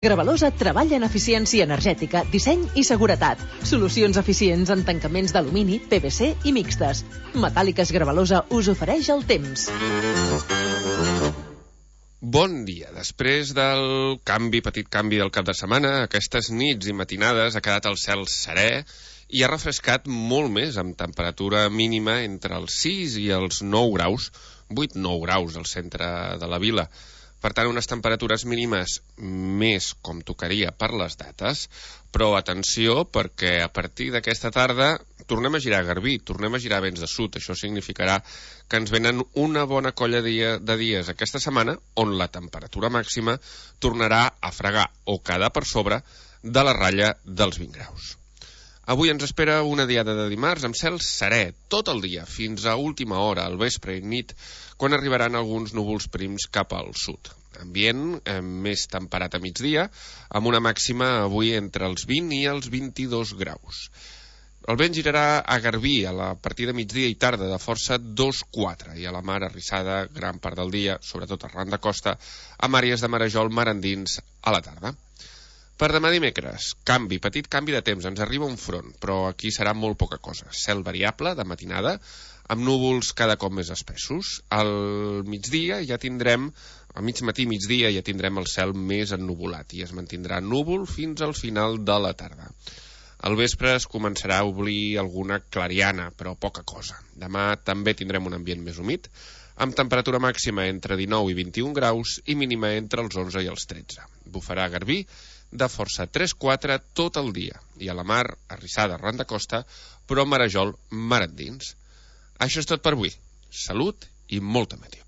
Gravalosa treballa en eficiència energètica, disseny i seguretat. Solucions eficients en tancaments d'alumini, PVC i mixtes. Metàl·liques Gravalosa us ofereix el temps. Bon dia. Després del petit canvi del cap de setmana, aquestes nits i matinades ha quedat el cel serè i ha refrescat molt més, amb temperatura mínima entre els 6 i els 9 graus, 8-9 graus al centre de la vila. Per tant, unes temperatures mínimes més com tocaria per les dates, però atenció perquè a partir d'aquesta tarda tornem a girar a Garbí, tornem a girar vents de sud. Això significarà que ens venen una bona colla de dies aquesta setmana on la temperatura màxima tornarà a fregar o quedar per sobre de la ratlla dels 20 graus. Avui ens espera una diada de dimarts amb cel serè tot el dia, fins a última hora, al vespre i nit, quan arribaran alguns núvols prims cap al sud. Ambient més temperat a migdia, amb una màxima avui entre els 20 i els 22 graus. El vent girarà a Garbí a partir de migdia i tarda de força 2-4 i a la mar arrissada gran part del dia, sobretot arran de costa, amb àrees de marejol mar endins a la tarda. Per demà dimecres, petit canvi de temps, ens arriba un front, però aquí serà molt poca cosa. Cel variable de matinada, amb núvols cada cop més espessos. Al migdia ja tindrem, a mig matí i migdia ja tindrem el cel més ennuvolat i es mantindrà núvol fins al final de la tarda. Al vespre es començarà a obrir alguna clariana, però poca cosa. Demà també tindrem un ambient més humit, amb temperatura màxima entre 19 i 21 graus i mínima entre els 11 i els 13. Bufarà a Garbí de força 3-4 tot el dia i a la mar arrissada arran de costa, però marejol mar endins. Això és tot per avui. Salut i molta meteor.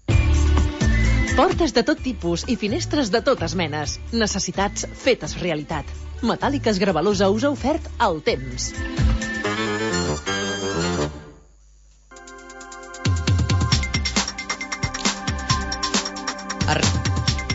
Portes de tot tipus i finestres de totes menes. Necessitats fetes realitat. Metàl·liques Gravalosa us ha ofert el temps.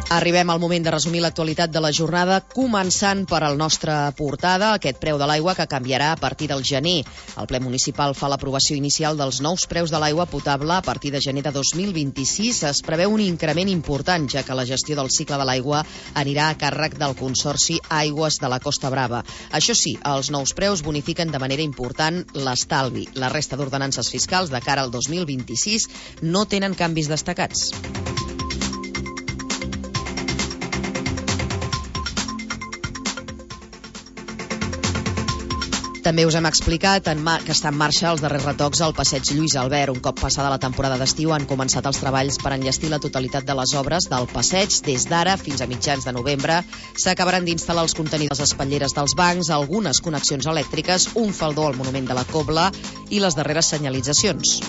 Arribem al moment de resumir l'actualitat de la jornada, començant per al nostre portada, aquest preu de l'aigua que canviarà a partir del gener. El ple municipal fa l'aprovació inicial dels nous preus de l'aigua potable a partir de gener de 2026. Es preveu un increment important, ja que la gestió del cicle de l'aigua anirà a càrrec del Consorci Aigües de la Costa Brava. Això sí, els nous preus bonifiquen de manera important l'estalvi. La resta d'ordenances fiscals de cara al 2026 no tenen canvis destacats. També us hem explicat que està en marxa els darrers retocs al passeig Lluís Albert. Un cop passada la temporada d'estiu han començat els treballs per enllestir la totalitat de les obres del passeig. Des d'ara fins a mitjans de novembre s'acabaran d'instal·lar els contenidors, les espatlleres dels bancs, algunes connexions elèctriques, un faldó al monument de la Cobla i les darreres senyalitzacions.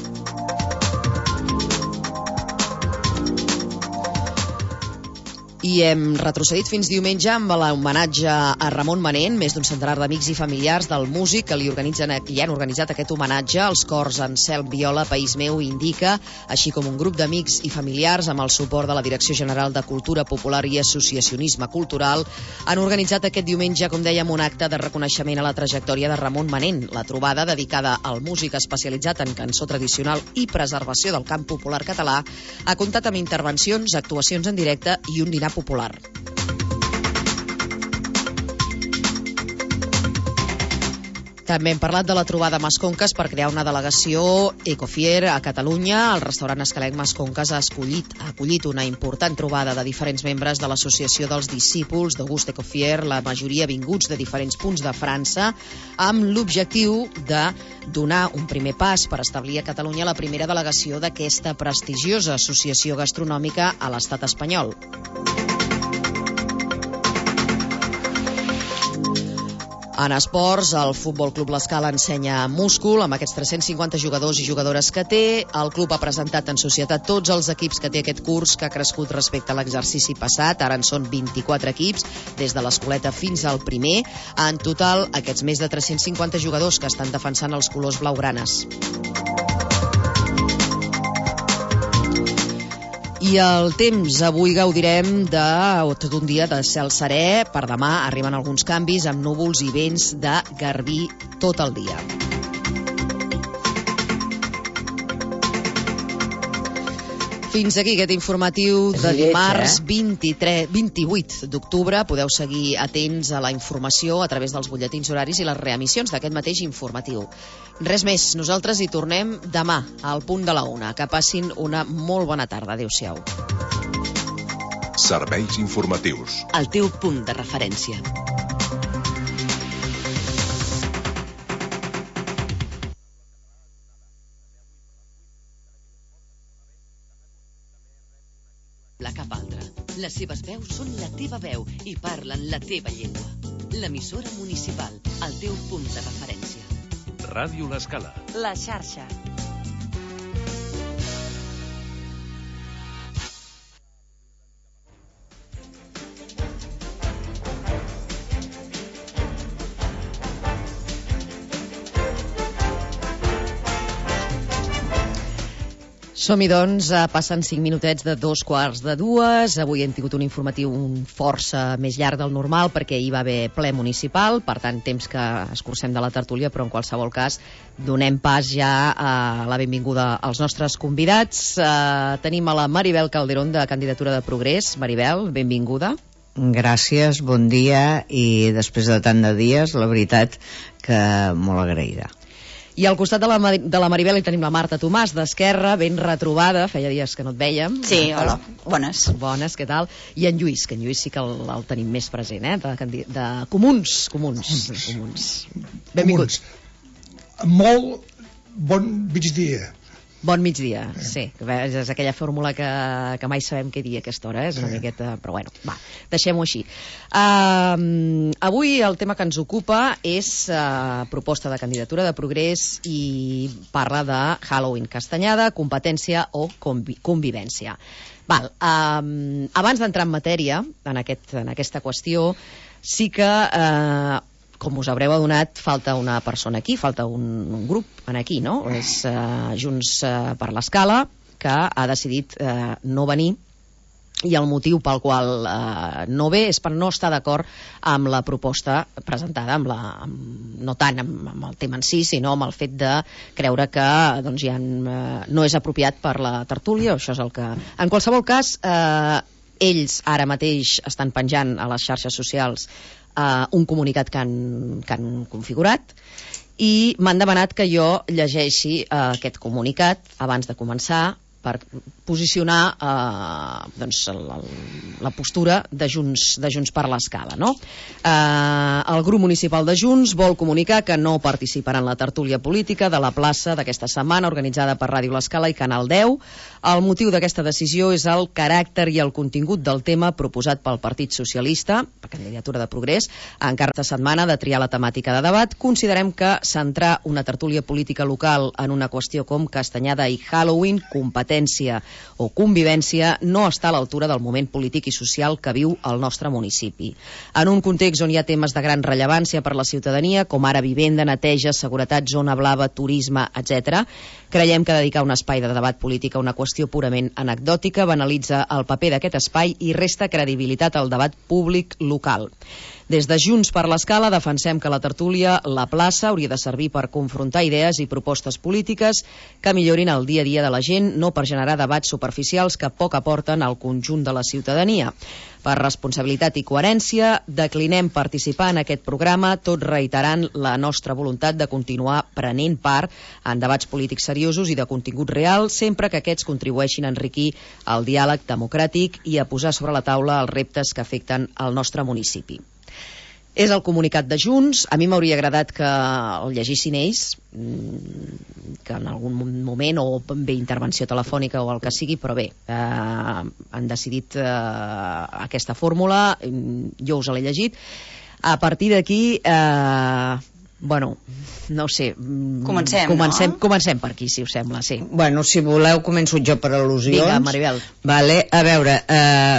I hem retrocedit fins diumenge amb l'homenatge a Ramon Manent. Més d'un centenar d'amics i familiars del músic que li han organitzat aquest homenatge. Els cors Anselm Viola, País Meu i Indica, així com un grup d'amics i familiars amb el suport de la Direcció General de Cultura Popular i Associacionisme Cultural, han organitzat aquest diumenge, com dèiem, un acte de reconeixement a la trajectòria de Ramon Manent. La trobada, dedicada al músic especialitzat en cançó tradicional i preservació del cant popular català, ha comptat amb intervencions, actuacions en directe i un dinar popular. També hem parlat de la trobada Masconques per crear una delegació Ecofier a Catalunya. El restaurant Escalenc Masconques ha acollit una important trobada de diferents membres de l'Associació dels Discípuls d'Auguste Ecofier, la majoria vinguts de diferents punts de França, amb l'objectiu de donar un primer pas per establir a Catalunya la primera delegació d'aquesta prestigiosa associació gastronòmica a l'estat espanyol. En esports, el Futbol Club L'Escala ensenya múscul amb aquests 350 jugadors i jugadores que té. El club ha presentat en societat tots els equips que té aquest curs, que ha crescut respecte a l'exercici passat. Ara en són 24 equips, des de l'escoleta fins al primer. En total, aquests més de 350 jugadors que estan defensant els colors blaugranes. I el temps, avui gaudirem tot un dia de cel serè. Per demà arriben alguns canvis amb núvols i vents de Garbí tot el dia. Fins aquí aquest informatiu de dimarts 28 d'octubre. Podeu seguir atents a la informació a través dels butlletins horaris i les reemissions d'aquest mateix informatiu. Res més, nosaltres hi tornem demà al punt de la 1. Que passin una molt bona tarda. Adéu-siau. Serveis informatius. El teu punt de referència. Cap altra. Les seves veus són la teva veu i parlen la teva llengua. L'emissora municipal, el teu punt de referència. Ràdio L'Escala. La xarxa. Som-hi, doncs, passen 5 minutets de 2:15. Avui hem tingut un informatiu força més llarg del normal perquè hi va haver ple municipal, per tant, temps que escurcem de la tertúlia, però en qualsevol cas donem pas ja a la benvinguda als nostres convidats. Tenim a la Maribel Calderón, de Candidatura de Progrés. Maribel, benvinguda. Gràcies, bon dia, i després de tant de dies, la veritat que molt agraïda. I al costat de la Maribel hi tenim la Marta Tomàs, d'Esquerra, ben retrobada, feia dies que no et vèiem. Sí, hola, bones. Bones, què tal? I en Lluís, que en Lluís sí que el tenim més present, de Comuns. Benvinguts. Molt bon migdia. Bon migdia, sí. És aquella fórmula que mai sabem què dir a aquesta hora, és una miqueta... Però bueno, va, deixem-ho així. Avui el tema que ens ocupa és proposta de Candidatura de Progrés i parla de Halloween, Castanyada, competència o convivència. Val, abans d'entrar en matèria, en aquesta qüestió, sí que... com us haureu adonat, falta una persona aquí, falta un grup aquí, no? És Junts per l'Escala, que ha decidit no venir, i el motiu pel qual no ve és per no estar d'acord amb la proposta presentada, no tant amb el tema en si, sinó amb el fet de creure que doncs, no és apropiat per la tertúlia, això és el que... En qualsevol cas, ells ara mateix estan penjant a les xarxes socials un comunicat que han configurat i m'han demanat que jo llegeixi aquest comunicat abans de començar per posicionar la postura de Junts per l'Escala, no? El grup municipal de Junts vol comunicar que no participarà en la tertúlia política de la plaça d'aquesta setmana organitzada per Ràdio L'Escala i Canal 10. El motiu d'aquesta decisió és el caràcter i el contingut del tema proposat pel Partit Socialista, per Candidatura de Progrés, en cada setmana de triar la temàtica de debat. Considerem que centrar una tertúlia política local en una qüestió com Castanyada i Halloween, competència o convivència, no està a l'altura del moment polític i social que viu el nostre municipi. En un context on hi ha temes de gran rellevància per la ciutadania, com ara vivenda, neteja, seguretat, zona blava, turisme, etc., creiem que dedicar un espai de debat polític a una qüestió purament anecdòtica banalitza el paper d'aquest espai i resta credibilitat al debat públic local. Des de Junts per l'Escala defensem que la tertúlia, la plaça, hauria de servir per confrontar idees i propostes polítiques que millorin el dia a dia de la gent, no per generar debats superficials que poc aporten al conjunt de la ciutadania. Per responsabilitat i coherència, declinem participar en aquest programa, tot reiterant la nostra voluntat de continuar prenent part en debats polítics seriosos i de contingut real, sempre que aquests contribueixin a enriquir el diàleg democràtic i a posar sobre la taula els reptes que afecten el nostre municipi. És el comunicat de Junts. A mi m'hauria agradat que el llegissin ells, que en algun moment, o bé intervenció telefònica o el que sigui, però bé, han decidit aquesta fórmula, jo us l'he llegit. A partir d'aquí, bueno, no ho sé. Comencem per aquí, si us sembla, sí. Bueno, si voleu, començo jo per al·lusions. Vinga, Maribel. Vale, a veure,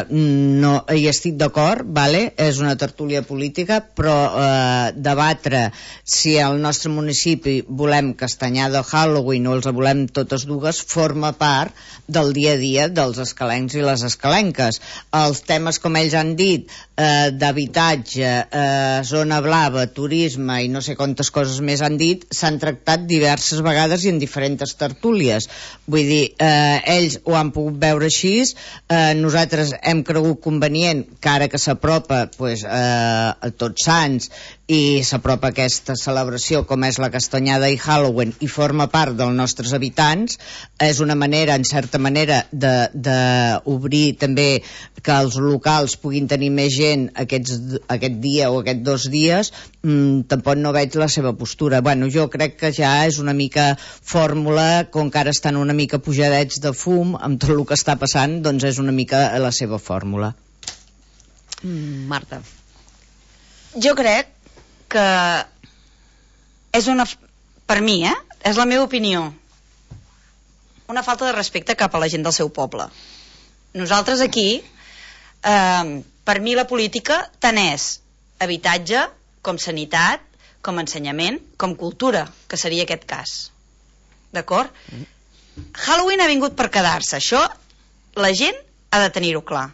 no hi estic d'acord, vale? És una tertúlia política, però debatre si al nostre municipi volem Castanyada o Halloween o els volem totes dues forma part del dia a dia dels escalencs i les escalenques. Els temes, com ells han dit, d'habitatge, zona blava, turisme i no sé com quantes coses més han dit, s'han tractat diverses vegades i en diferents tertúlies. Vull dir, ells ho han pogut veure així, nosaltres hem cregut convenient que ara que s'apropa a Tots Sants i s'apropa aquesta celebració com és la Castanyada i Halloween i forma part dels nostres habitants, és una manera, en certa manera, d'obrir també que els locals puguin tenir més gent aquest dia o aquests 2 dies. Tampoc no veig la seva postura. Bueno, jo crec que ja és una mica fórmula, com que ara estan una mica pujadets de fum amb tot el que està passant, doncs és una mica la seva fórmula. Marta. Jo crec que és per mi, és la meva opinió, una falta de respecte cap a la gent del seu poble. Nosaltres aquí, per mi la política tant és habitatge, com sanitat, com ensenyament, com cultura, que seria aquest cas. D'acord? Halloween ha vingut per quedar-se. Això la gent ha de tenir-ho clar.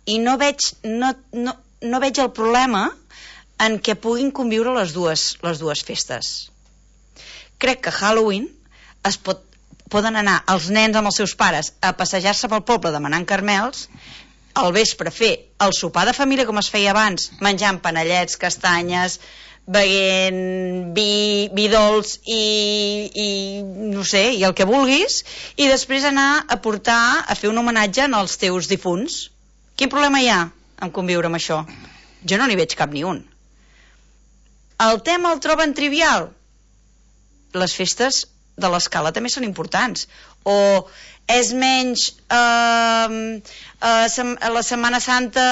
I no veig el problema en què puguin conviure les dues festes. Crec que Halloween poden anar els nens amb els seus pares a passejar-se pel poble demanant caramels, al vespre fer el sopar de família com es feia abans, menjant panellets, castanyes, beguent vi dolç i no sé, i el que vulguis, i després anar a fer un homenatge als teus difunts. Quin problema hi ha en conviure amb això? Jo no n'hi veig cap ni un. El tema el troben trivial? Les festes de l'escala també són importants. O és menys la Setmana Santa,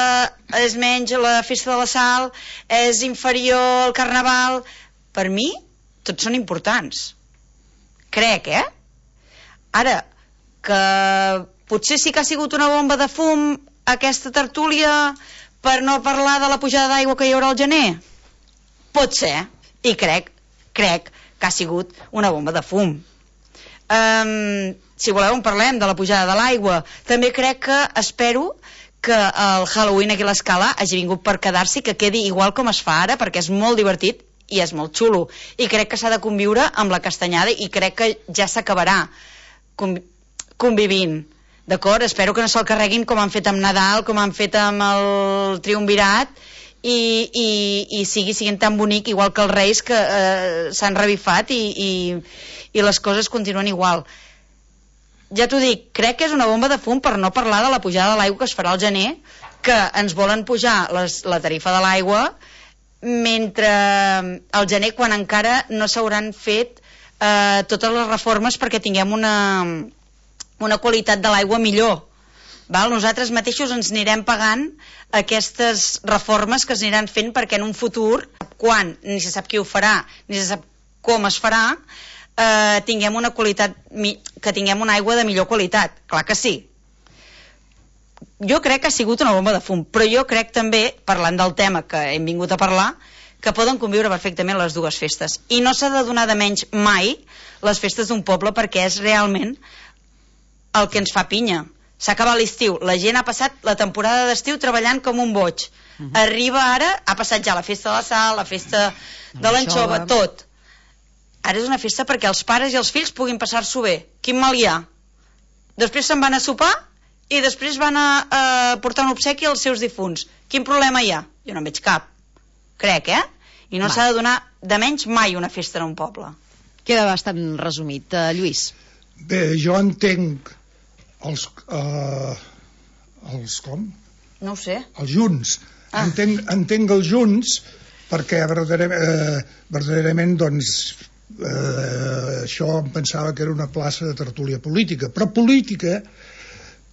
és menys la festa de la Sal, és inferior al Carnaval. Per mi, tots són importants. Crec, Ara, que potser sí que ha sigut una bomba de fum aquesta tertúlia per no parlar de la pujada d'aigua que hi haurà al gener? Pot ser, i crec que ha sigut una bomba de fum. Si voleu en parlem de la pujada de l'aigua. També crec que espero que el Halloween aquí a l'Escala hagi vingut per quedar-s'hi, que quedi igual com es fa ara, perquè és molt divertit i és molt xulo. I crec que s'ha de conviure amb la Castanyada i crec que ja s'acabarà convivint. D'acord? Espero que no se'l carreguin com han fet amb Nadal, com han fet amb el Triumvirat, i siguin tan bonic igual que els Reis, que s'han revifat i les coses continuen igual. Ja t'ho dic, crec que és una bomba de fum, per no parlar de la pujada de l'aigua que es farà al gener, que ens volen pujar la tarifa de l'aigua mentre al gener, quan encara no s'hauran fet totes les reformes perquè tinguem una qualitat de l'aigua millor. Nosaltres mateixos ens anirem pagant aquestes reformes que es aniran fent, perquè en un futur, quan ni se sap qui ho farà ni se sap com es farà, tinguem una qualitat, que tinguem una aigua de millor qualitat. Clar que sí. Jo crec que ha sigut una bomba de fum, però jo crec també, parlant del tema que hem vingut a parlar, que poden conviure perfectament les dues festes, i no s'ha de donar de menys mai les festes d'un poble, perquè és realment el que ens fa pinya. S'ha acabat l'estiu, la gent ha passat la temporada d'estiu treballant com un boig. Arriba ara, ha passat ja la festa de la Sal, la festa de l'anxova, tot. Ara és una festa perquè els pares i els fills puguin passar-s'ho bé. Quin mal hi ha? Després se'n van a sopar i després van a portar un obsequi als seus difunts. Quin problema hi ha? Jo no en veig cap. Crec, I no s'ha de donar de menys mai una festa en un poble. Queda bastant resumit. Lluís. Bé, jo entenc els com? No ho sé. Els junts. Entenc els junts perquè verdaderament doncs això em pensava que era una plaça de tertúlia política, però política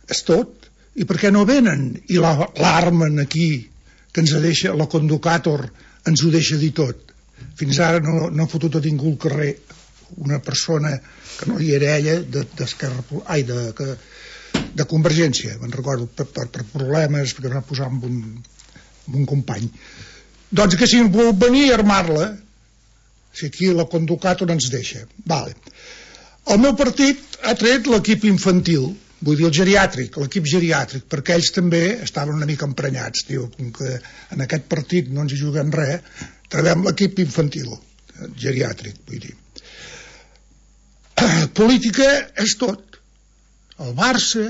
és tot. I per què no venen i l'armen aquí, que ens deixa, la Conducator ens ho deixa dir tot? Fins ara no ha fotut a ningú al carrer una persona que no hi era ella de Convergència, me'n recordo, per problemes que va posar amb un company. Doncs que si vol venir a armar-la, si aquí la Conducator ens deixa. Vale. El meu partit ha tret l'equip infantil, vull dir el geriàtric, l'equip geriàtric, perquè ells també estaven una mica emprenyats. Diu, com que en aquest partit no ens hi juguem res, traiem l'equip infantil. geriàtric, vull dir. Política és tot. El Barça,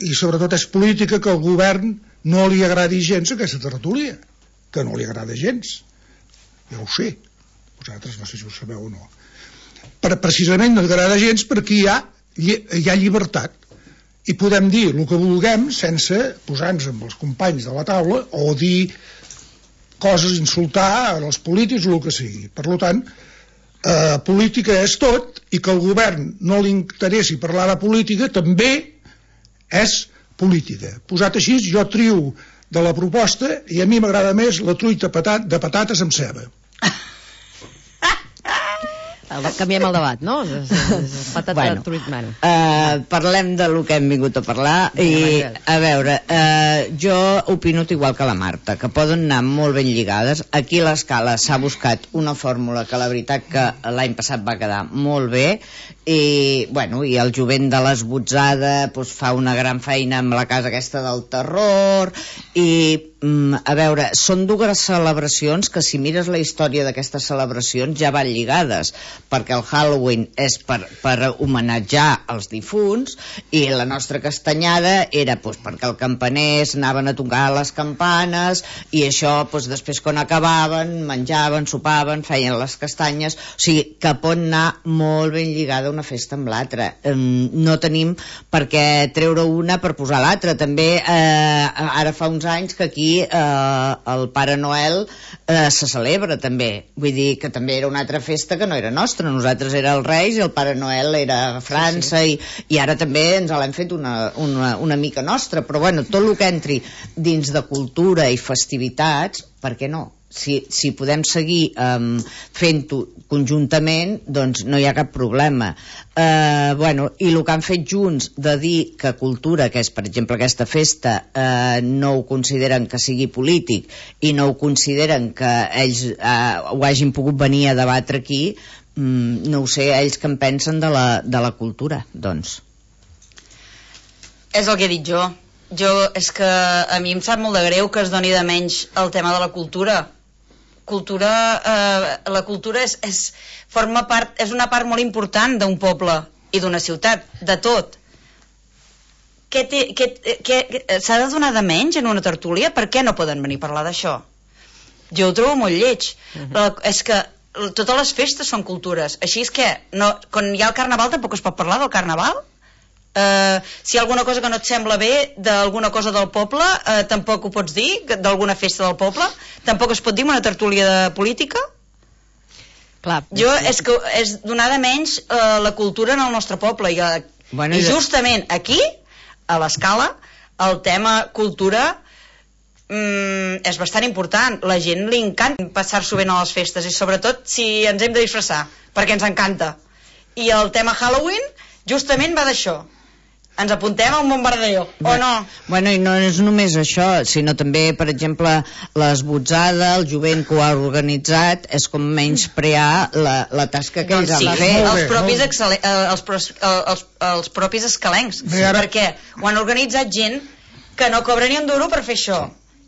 i sobretot és política que al govern no li agradi gens aquesta tertúlia, que no li agrada gens. Ja ho sé, vosaltres no sé si ho sabeu o no. Precisament no li agrada gens perquè hi ha llibertat i podem dir el que vulguem sense posar-nos amb els companys de la taula o dir coses, insultar als polítics o el que sigui. Per tant, política és tot, i que al govern no li interessi parlar de política també és política. Posat així, jo trio de la proposta i a mi m'agrada més la truita de patates amb ceba. Canviem el debat, no? Patata truit, bueno. Parlem de lo que hem vingut a parlar i, a veure, jo opino igual que la Marta, que poden anar molt ben lligades. Aquí a l'Escala s'ha buscat una fórmula que la veritat que l'any passat va quedar molt bé i, bueno, i el jovent de l'Esbotzada doncs, fa una gran feina amb la casa aquesta del terror i a veure, són dues celebracions que si mires la història d'aquestes celebracions ja van lligades, perquè el Halloween és per homenatjar els difunts i la nostra castanyada era doncs, perquè els campaners anaven a tocar les campanes i això doncs, després quan acabaven menjaven, sopaven, feien les castanyes, o sigui que pot anar molt ben lligada una festa amb l'altra. No tenim per què treure una per posar l'altra. També ara fa uns anys que aquí el Pare Noel se celebra també, vull dir que també era una altra festa que no era nostra, nosaltres era els Reis i el Pare Noel era a França, sí. I ara també ens l'hem fet una mica nostra, però bueno, tot el que entri dins de cultura i festivitats, per què no? Si podem seguir fent-ho conjuntament, doncs no hi ha cap problema. Bueno, i el que han fet junts de dir que cultura, que és per exemple aquesta festa, no ho consideren que sigui polític i no ho consideren que ells ho hagin pogut venir a debatre aquí, no ho sé, ells que en pensen de la cultura, doncs. És el que he dit jo. És que a mi em sap molt de greu que es doni de menys el tema de la cultura. La cultura forma part, és una part molt important d'un poble i d'una ciutat, de tot. S'ha de donar de menys en una tertúlia? Per què no poden venir a parlar d'això? Jo ho trobo molt lleig. És que totes les festes són cultures, així és que quan hi ha el carnaval tampoc es pot parlar del carnaval? Si hi ha alguna cosa que no et sembla bé d'alguna cosa del poble, tampoc ho pots dir, d'alguna festa del poble, tampoc es pot dir una tertúlia de política. Clar, és donar de menys la cultura en el nostre poble i justament aquí a l'Escala el tema cultura és bastant important. La gent li encanta passar-s'ho bé a les festes i sobretot si ens hem de disfressar, perquè ens encanta. I el tema Halloween justament va d'això. Ens apuntem a un bombardeo, o no? Bueno, i no és només això, sinó també, per exemple, l'Esbotzada, el jovent que ho ha organitzat, és com menysprear la tasca que ells han fet. Els propis escalencs, perquè ho han organitzat gent que no cobra ni un duro per fer això.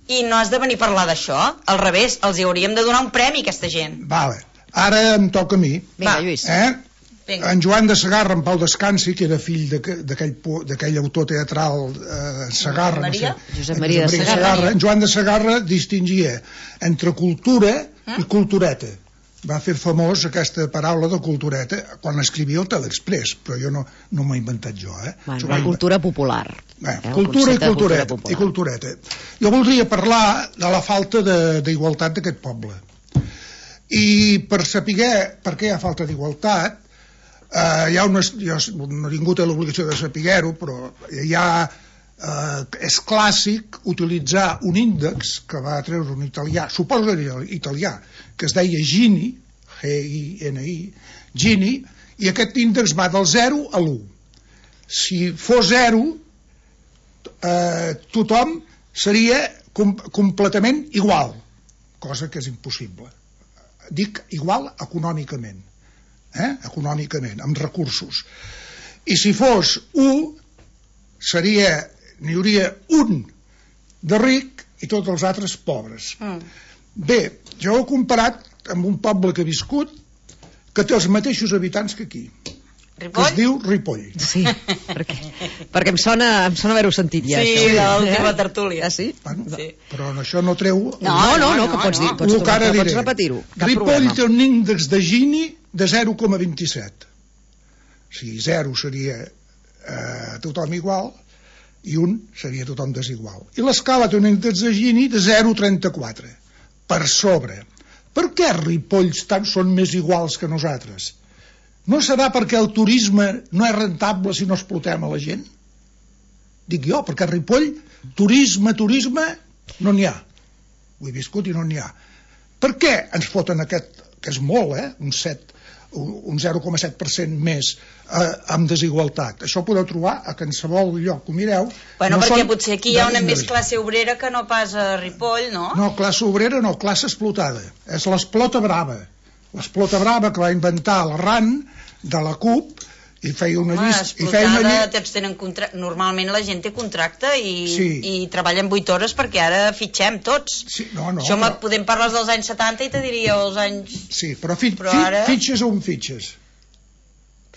I no has de venir a parlar d'això, al revés, els hi hauríem de donar un premi a aquesta gent. Vale, ara em toca a mi. Vinga, Lluís. En Joan de Segarra, en Pau Descansi, que era fill d'aquell autor teatral Segarra, Josep Maria de Segarra. En Joan de Segarra distingia entre cultura i cultureta. Va fer famós aquesta paraula de cultureta quan escrivia el Telexpress, però jo no m'ho he inventat jo. La cultura popular. Cultura i cultureta. Jo voldria parlar de la falta d'igualtat d'aquest poble. I per saber per què hi ha falta d'igualtat, jo no he tingut l'obligació de saber-ho, però és clàssic utilitzar un índex que va treure un italià, suposo que era italià, que es deia Gini, G-I-N-I, Gini, i aquest índex va del 0 a l'1. Si fos 0, tothom seria completament igual, cosa que és impossible. Dic igual econòmicament. Econòmicament, amb recursos. I si fos 1, n'hi hauria un de ric i tots els altres pobres. Bé, jo ho he comparat amb un poble que he viscut que té els mateixos habitants que aquí. Ripoll? Que es diu Ripoll. Sí, perquè em sona haver-ho sentit ja. Sí, això. l'última tertúlia. Ah, sí? Bueno, Sí. però això no treu... No, que pots dir, El que ara diré. pots repetir-ho. Cap Ripoll problema. té un índex de Gini de 0,27. O sigui, 0 seria tothom igual i 1 seria tothom desigual. I l'Escala té un índex de Gini de 0,34, per sobre. Per què Ripolls són més iguals que nosaltres? No serà perquè el turisme no és rentable si no explotem a la gent? Dic jo, perquè a Ripoll turisme, no n'hi ha. Ho he viscut i no n'hi ha. Per què ens foten aquest, que és molt, un 0,7% més amb desigualtat? Això ho podeu trobar a qualsevol lloc que ho mireu. Bueno, perquè potser aquí hi ha una més classe obrera que no pas a Ripoll, no? No, classe obrera no, classe explotada. És l'esplota brava. L'esplota brava que va inventar l'Arran de la CUP i feia una llista... Normalment la gent té contracte Sí. i treballa en 8 hores perquè ara fitxem tots. Sí, Això podem parlar dels anys 70 i te diria els anys... Sí, però ara... fitxes on fitxes?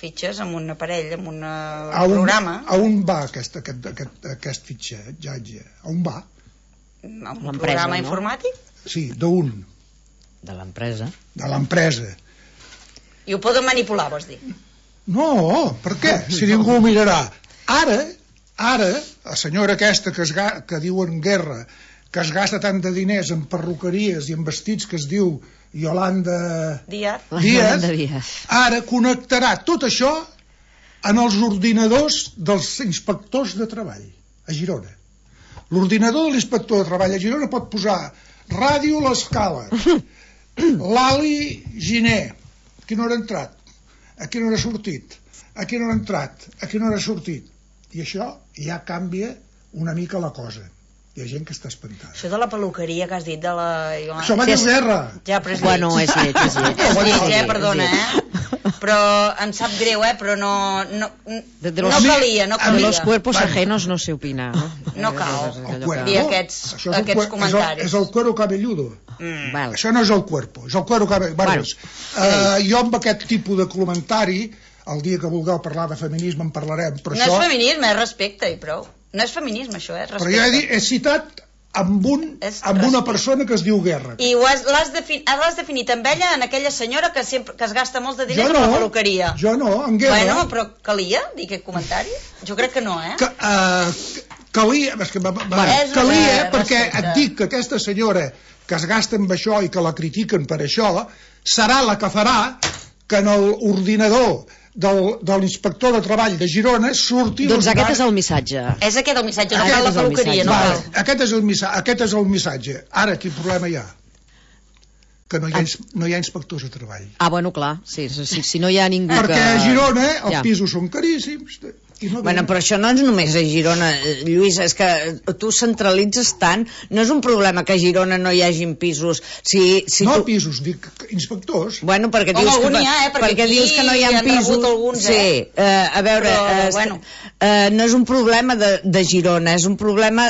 Fitxes amb un aparell, amb un programa. A on va aquest fitxatge? A on va? A un programa informàtic? Sí, d'un. De l'empresa. De l'empresa. I ho poden manipular, vols dir? No, per què? Si ningú ho mirarà. Ara, la senyora aquesta que diuen Guerra, que es gasta tant de diners en perruqueries i en vestits que es diu Yolanda Díaz, ara connectarà tot això en els ordinadors dels inspectors de treball a Girona. L'ordinador de l'inspector de treball a Girona pot posar Ràdio l'Escala, l'Ali Giner, a quina hora ha entrat, a quina hora ha sortit, a quina hora ha entrat, a quina hora ha sortit. I això ja canvia una mica la cosa. Hi ha gent que està espantada. Això de la peluqueria que has dit de la... Això va dir Guerra. Ja, però és lleig. Bueno, és lleig. És lleig, perdona, Però em sap greu, però no calia. De los cuerpos ajenos no se opina. No cal dir aquests comentaris. És el cuero cabelludo. Això no és el cuerpo, és el cuero cabelludo. Jo amb aquest tipus de comentari, el dia que vulgueu parlar de feminisme en parlarem. No és feminisme, és respecte i prou. No és feminisme, això, respecte. Però jo he citat amb una persona que es diu Guerra. I l'has definit amb ella, en aquella senyora que es gasta molts de diners a la peluqueria. Jo no, en Guerra. Bueno, però calia dir aquest comentari? Jo crec que no, Calia, perquè et dic que aquesta senyora que es gasta amb això i que la critiquen per això, serà la que farà que en l'ordinador de l'inspector de treball de Girona surti... Doncs aquest és el missatge. És aquest el missatge, no cal la peluqueria, no cal. Aquest és el missatge. Ara, quin problema hi ha? Que no hi ha inspectors de treball. Ah, bueno, clar, sí, si no hi ha ningú perquè a Girona els pisos són caríssims... Bueno, però això no és només a Girona, Lluís, és que tu centralitzes tant, no és un problema que a Girona no hi hagin pisos. Pisos, dic inspectors. Bueno, perquè dius que no hi ha pisos. Sí, a veure, no és un problema de Girona, és un problema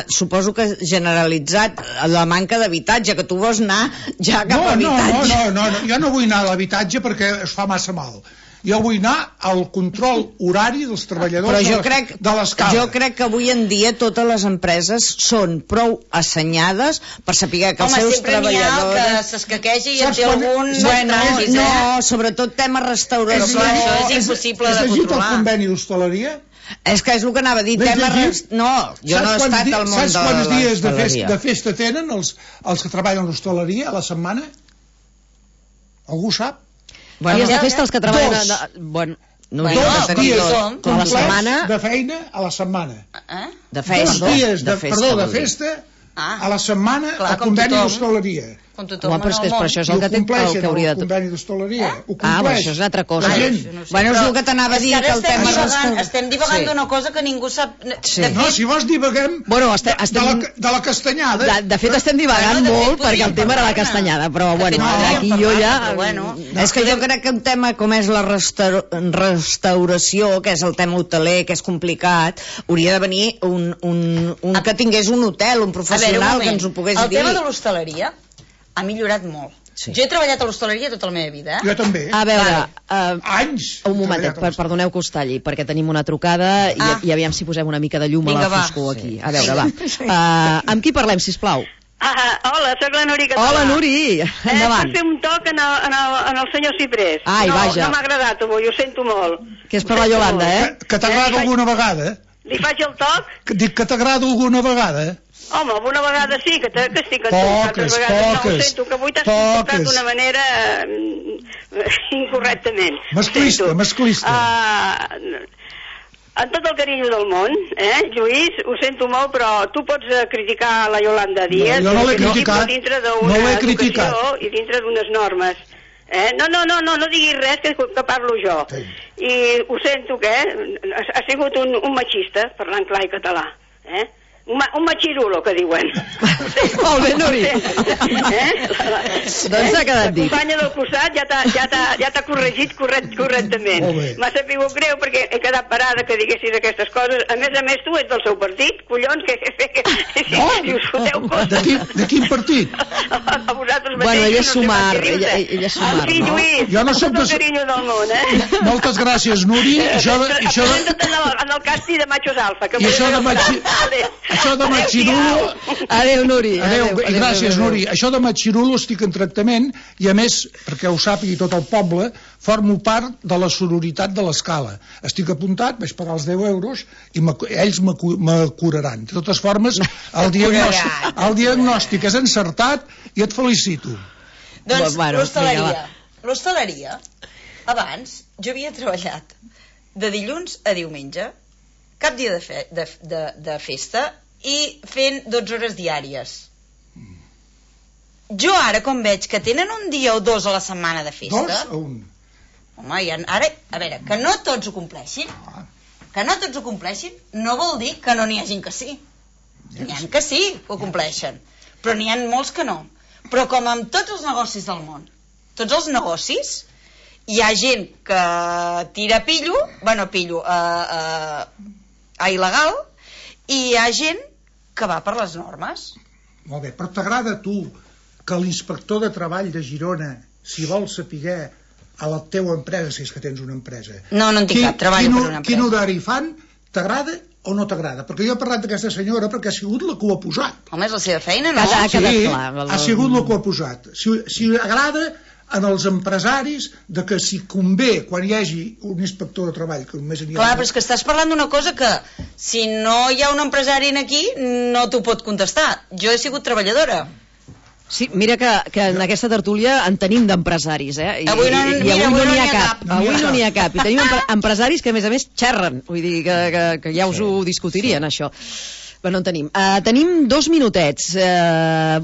suposo que generalitzat, la manca d'habitatge, que tu vols anar ja cap a habitatge. No, jo no vull anar a l'habitatge perquè es fa massa mal. Jo vull anar al control horari dels treballadors de l'Escala. Jo crec que avui en dia totes les empreses són prou assenyades per saber que els seus treballadors... Home, sempre n'hi ha que s'escaquegi i en té algun... No, sobretot tema restauració. Això és impossible de controlar. Has llegit el conveni d'hostaleria? És que és el que anava a dir. No, jo no he estat al món de l'hostaleria. Saps quants dies de festa tenen els que treballen a l'hostaleria a la setmana? Algú sap? Dies de festa els que treballen... Dos dies complets de feina a la setmana. Dos dies de festa a la setmana al conveni d'hostaleria. Però és que per això és el que hauria de... El conveni d'hostaleria. Però això és una altra cosa. Bueno, és el que t'anava a dir, que el tema... Estem divagant d'una cosa que ningú sap... No, si vols divaguem de la castanyada. De fet, estem divagant molt perquè el tema era la castanyada, però bueno, aquí jo ja... És que jo crec que un tema com és la restauració, que és el tema hoteler, que és complicat, hauria de venir un que tingués un hotel, un professional que ens ho pogués dir. El tema de l'hostaleria ha millorat molt. Sí. Jo he treballat a l'hostaleria tota la meva vida, Jo també. A veure, Anys. un momentet, perdoneu que us talli, perquè tenim una trucada i aviam si posem una mica de llum a la foscor aquí. A veure, va. Amb qui parlem, sisplau? Hola, sóc la Nuri Català. Hola, Nuri, endavant. Per fer un toc en el senyor Ciprés. Ai, vaja. No m'ha agradat avui, ho sento molt. Que és per la Yolanda, Que t'agrada alguna vegada? Li faig el toc? Dic que t'agrada alguna vegada? Home, alguna vegada sí, que estic a tu. Poques. No, ho sento, que avui t'has comportat d'una manera incorrectament. Masclista. Amb tot el carinyo del món, Lluís, ho sento molt, però tu pots criticar la Yolanda Díaz. Jo no l'he criticat. Dintre d'una educació i dintre d'unes normes. No diguis res, que parlo jo. Sí. I ho sento, que ha sigut un machista, parlant clar i català. Un machirulo, que diuen. Molt bé, Nuri. Doncs s'ha quedat dit. La companya del costat ja t'ha corregit correctament. M'ha sabut greu perquè he quedat parada que diguessis aquestes coses. A més, tu ets del seu partit, collons, si us foteu coses. De quin partit? A vosaltres mateixos. Bueno, ella és sumar. En fi, Lluís, jo no soc tot el carinyo del món, Moltes gràcies, Nuri. En el casti de machos alfa. I això de Machirulo... Adéu, Nuri. Adéu, gràcies, Nuri. Això de Machirulo estic en tractament i, a més, perquè ho sàpigui tot el poble, formo part de la sororitat de l'Escala. Estic apuntat, vaig pagar els 10 euros i ells me curaran. De totes formes, el diagnòstic és encertat i et felicito. Doncs l'hostaleria, abans jo havia treballat de dilluns a diumenge, cap dia de festa, i fent 12 hores diàries. Jo ara, com veig que tenen un dia o dos a la setmana de festa... 2 o 1? Home, ara, a veure, que no tots ho compleixin, no vol dir que no n'hi hagin que sí. N'hi ha que sí, que ho compleixen, però n'hi ha molts que no. Però com amb tots els negocis del món, tots els negocis, hi ha gent que tira il·legal, i hi ha gent que va per les normes. Molt bé, però t'agrada a tu que l'inspector de treball de Girona, si vol saber a la teua empresa, si és que tens una empresa... No en tinc cap, treballo per una empresa. Quin horari fan, t'agrada o no t'agrada? Perquè jo he parlat d'aquesta senyora perquè ha sigut la que ho ha posat. Home, és la seva feina, no? Ha sigut la que ho ha posat. Si agrada en els empresaris de que si convé quan hi hagi un inspector de treball que només n'hi ha... Clar, però és que estàs parlant d'una cosa que si no hi ha un empresari aquí no t'ho pot contestar. Jo he sigut treballadora. Sí, mira que en aquesta tertúlia en tenim d'empresaris, Avui no n'hi ha cap. Avui no n'hi ha cap. I tenim empresaris que, a més, xerren. Vull dir que ja us ho discutirien, això. Però no en tenim. Tenim 2 minutets.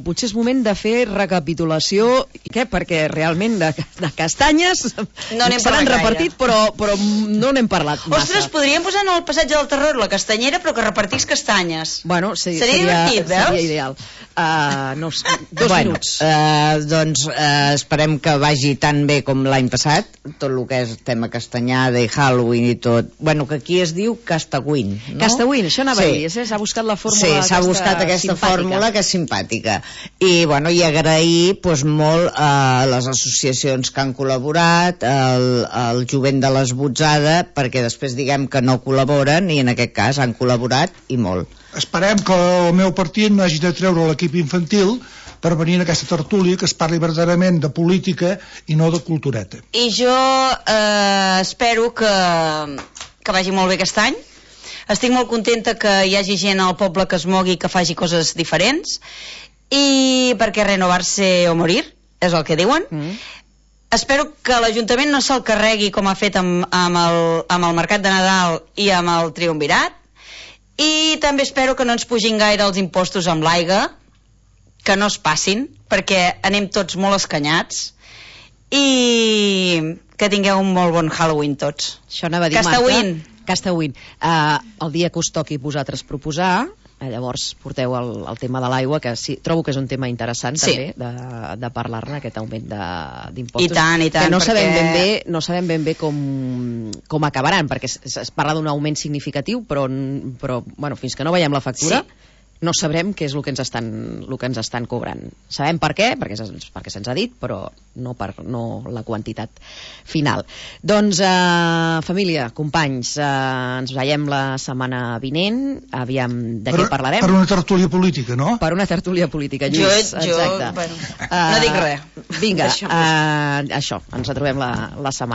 Potser és moment de fer recapitulació. Què? Perquè realment de castanyes no se n'han repartit, però no n'hem parlat massa. Ostres, podríem posar en el passatge del terror la castanyera, però que repartís castanyes. Bueno, sí, seria divertit, veus? Seria ideal. 2 minuts. Doncs esperem que vagi tan bé com l'any passat, tot el que és tema castanyada i Halloween i tot. Bueno, que aquí es diu Castawin, no? Castawin, això anava a dir. S'ha buscat la fórmula. Sí, s'ha buscat aquesta fórmula que és simpàtica. I, bueno, i agrair molt a les associacions que han col·laborat, al jovent de l'Esbotzada, perquè després diguem que no col·laboren, i en aquest cas han col·laborat i molt. Esperem que el meu partit no hagi de treure l'equip infantil per venir en aquesta tertúlia que es parli verdaderament de política i no de cultureta. I jo espero que vagi molt bé aquest any. Estic molt contenta que hi hagi gent al poble que es mogui, que faci coses diferents, i perquè renovar-se o morir, és el que diuen. Espero que l'Ajuntament no se'l carregui com ha fet amb el Mercat de Nadal i amb el Triumvirat, i també espero que no ens pugin gaire els impostos amb l'aigua, que no es passin, perquè anem tots molt escanyats, i que tingueu un molt bon Halloween tots. Això anava a dir, Marta. Castawin. El dia que us toqui vosaltres proposar, llavors porteu el tema de l'aigua, que sí, trobo que és un tema interessant, també, de parlar-ne, aquest augment d'impostos. I tant, que no sabem ben bé com acabaran, perquè es parla d'un augment significatiu, però bueno, fins que no veiem la factura... no sabrem què és el que ens estan cobrant. Sabem per què, perquè se'ns ha dit, però no la quantitat final. Doncs, família, companys, ens veiem la setmana vinent. Aviam de què parlarem. Per una tertúlia política, no? Per una tertúlia política, Lluís. Bueno, no dic res. Vinga, això, ens retrobem la setmana.